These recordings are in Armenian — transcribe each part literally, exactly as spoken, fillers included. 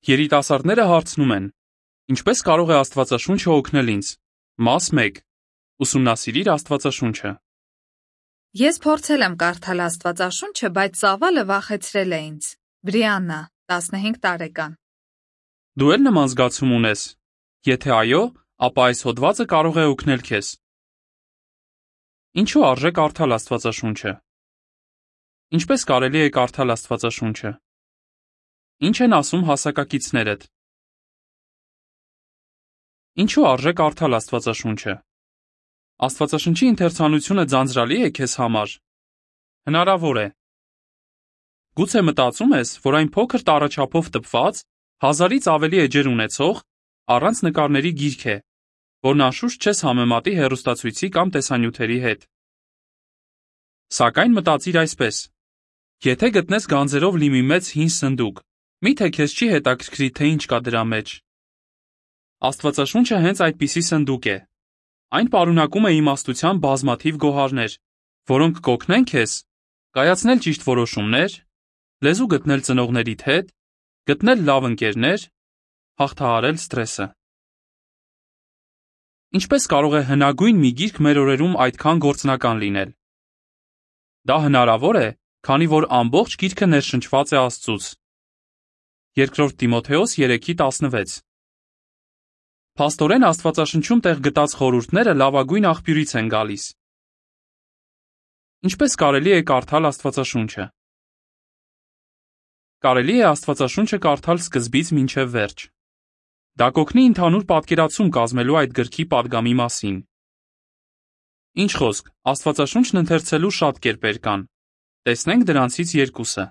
Երիտասարդները հարցնում են. ինչպես կարող է Աստվածաշունչը օգնել ինձ։ Մաս մեկ. Ուսումնասիրիր Աստվածաշունչը։ Ես փորձել եմ կարդալ Աստվածաշունչը, բայց ծավալը վախեցրել է ինձ։ Բրիաննա, տասնհինգ տարեկան։ Դու էլ նման զգացում ունես։ Եթե այո, ապա այս հոդվածը կարող է օգնել քեզ։ Ինչու արժե կարդալ Աստվածաշունչը։ Ինչպես կարելի է կարդալ Աստվածաշունչը։ Ինչ են ասում հասակակիցներդ։ Ինչու արժե կարդալ Աստվածաշունչը։ Աստվածաշնչի ընթերցանությունը ձանձրալի է քեզ համար։ Հնարավոր է։ Գուցե մտածում ես, որ այն փոքր տառաչափով տպված, հազարից ավելի էջեր ունեցող, առանց նկարների գիրք է, որն անշուշտ չես համեմատի հեռուստացույցի կամ տեսանյութերի հետ։ Սակայն մտածիր այսպես. եթե գտնես գանձերով լի մի մեծ հին սնդուկ, միթե քեզ չի հետաքրքրի, թե ինչ կա դրա մեջ։ Աստվածաշունչը հենց այդպիսի սնդուկ է։ Այն պարունակում է իմաստության բազմաթիվ գոհարներ, որոնք կօգնեն քեզ կայացնել ճիշտ որոշումներ, լեզու գտնել ծնողներիդ հետ, գտնել լավ ընկերներ, հաղթահարել սթրեսը։ Ինչպես կարող է հնագույն մի գիրք մեր օրերում այդքան գործնական լինել։ Դա հնարավոր է, քանի որ ամբողջ գիրքը ներշնչված է Աստծուց։ Երկրորդ Տիմոթեոս երեքի տասնվեց։ Փաստորեն Աստվածաշնչում տեղ գտած խորհուրդները լավագույն աղբյուրից են գալիս։ Ինչպես կարելի է կարդալ Աստվածաշունչը։ Կարելի է Աստվածաշունչը կարդալ սկզբից մինչև վերջ։ Դա կօգնի ընդհանուր պատկերացում կազմելու այդ գրքի պատգամի մասին։ Ինչ խոսք, Աստվածաշունչն ընթերցելու շատ կերպեր կան։ Տեսնենք դրանցից երկուսը։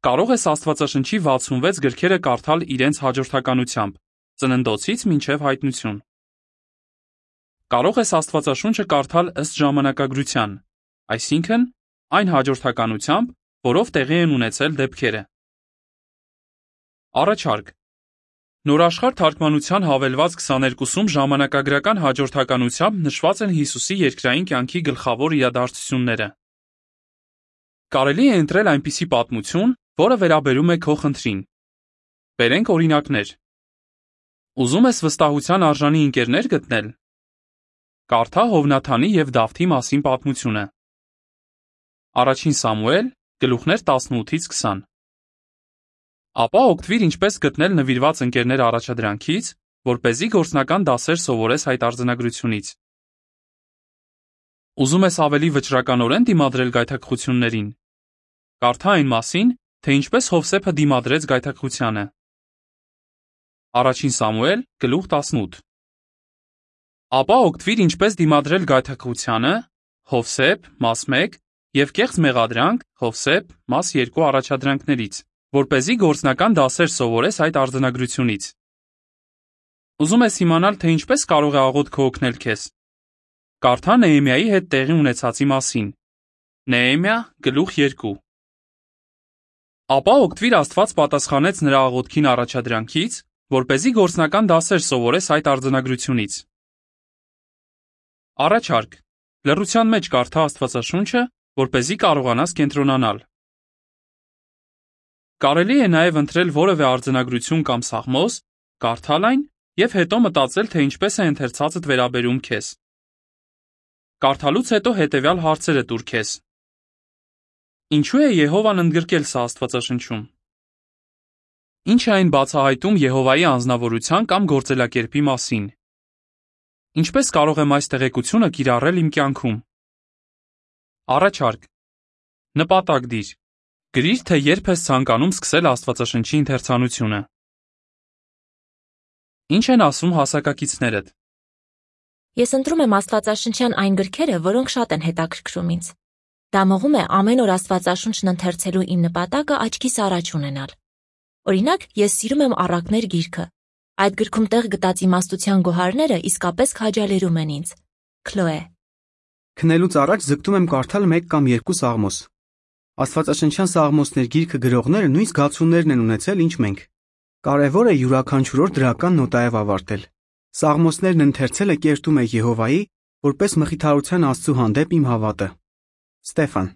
Կարող ես Աստվածաշնչի վաթսունվեց գրքերը կարդալ իրենց հաջորդականությամբ, ծննդոցից մինչև հայտնություն։ Կարող ես Աստվածաշունչը կարդալ ըստ ժամանակագրության, այսինքն այն հաջորդականությամբ, որով տեղի են ունեցել դեպքերը։ Առաջարկ. Նորաշխարհ թարգմանության հավելված քսաներկուսում ժամանակագրական հաջորդականությամբ նշված են Հիսուսի երկրային կյանքի գլխավոր իրադարձությունները։ Կարելի է ընտրել այնպիսի պատմություն, որը վերաբերում է քո խնդրին։ Բերենք օրինակներ։ Ուզում ես վստահության արժանի ընկերներ գտնել։ Կարդա Հովնաթանի և Դավթի մասին պատմությունը։ Առաջին Սամուել, գլուխներ տասնութից քսան։ Ապա օգտվիր ինչպես գտնել նվիրված ընկերներ առաջադրանքից, որպեսզի գործնական դասեր սովորես այդ արձանագրությունից։ Ուզում ես ավելի վճռականորեն դիմադրել գայթակղություններին։ Կարդա այն մասին, թե ինչպես Հովսեփը դիմադրեց գայթակղությանը։ Առաջին Սամուել, գլուխ տասնութ։ Ապա օգտվիր ինչպես դիմադրել գայթակղությանը, Հովսեփ, մաս մեկ, և կեղծ մեղադրանք, Հովսեփ, մաս երկու առաջադրանքներից, որպեսզի գործնական դասեր սովորես այդ արձանագրությունից։ Ուզում ես իմանալ, թե ինչպես կարող է աղոթքը օգնել քեզ։ Կարդա Նեհեմիայի հետ տեղի ունեցածի մասին։ Նեհեմիա, գլուխ երկու։ Ապա օգտվիր Աստված պատասխանեց նրա աղոթքին առաջադրանքից, որպեսզի գործնական դասեր սովորես այդ արձանագրությունից։ Առաջարկ. լռության մեջ կարդա Աստվածաշունչը, որպեսզի կարողանաս կենտրոնանալ։ Կարելի է նաև ընտրել որևէ արձանագրություն կամ սաղմոս, կարդալ այն և հետո մտածել, թե ինչպես է ընթերցածդ վերաբերում քեզ։ Կարդալուց հետո հետևյալ հարցերը տուր քեզ։ Ինչու է Եհովան ընդգրկել սա Աստվածաշնչում։ Ինչ է այն բացահայտում Եհովայի անձնավորության կամ գործելակերպի մասին։ Ինչպես կարող եմ այս տեղեկությունը կիրառել իմ կյանքում։ Առաջարկ. նպատակ դիր։ Գրիր, թե երբ ես ցանկանում սկսել Աստվածաշնչի ընթերցանությունը։ Ինչ են ասում հասակակիցներդ։ Ես ընտրում եմ Աստվածաշնչյան այն գրքերը, որոնք շատ են հետաքրքրում ինձ։ Դա մղում է ամեն օր Աստվածաշունչն ընթերցելու իմ նպատակը աչքիս առաջ ունենալ։ Օրինակ, ես սիրում եմ Առակներ գիրքը։ Այդ գրքում տեղ գտած իմաստության գոհարները իսկապես քաջալերում են ինձ։ Քլոե։ Քնելուց առաջ ձգտում եմ կարդալ մեկ կամ երկու սաղմոս։ Աստվածաշնչյան սաղմոսներ գիրքը գրողները նույն զգացումներն են ունեցել, ինչ մենք։ Կարևոր է յուրաքանչյուր օր դրական նոտայով ավարտել։ Սաղմոսներն ընթերցելը կերտում է Եհովայի, որպես մխիթարության Աստծու հանդեպ իմ հավատը։ Ստեֆան։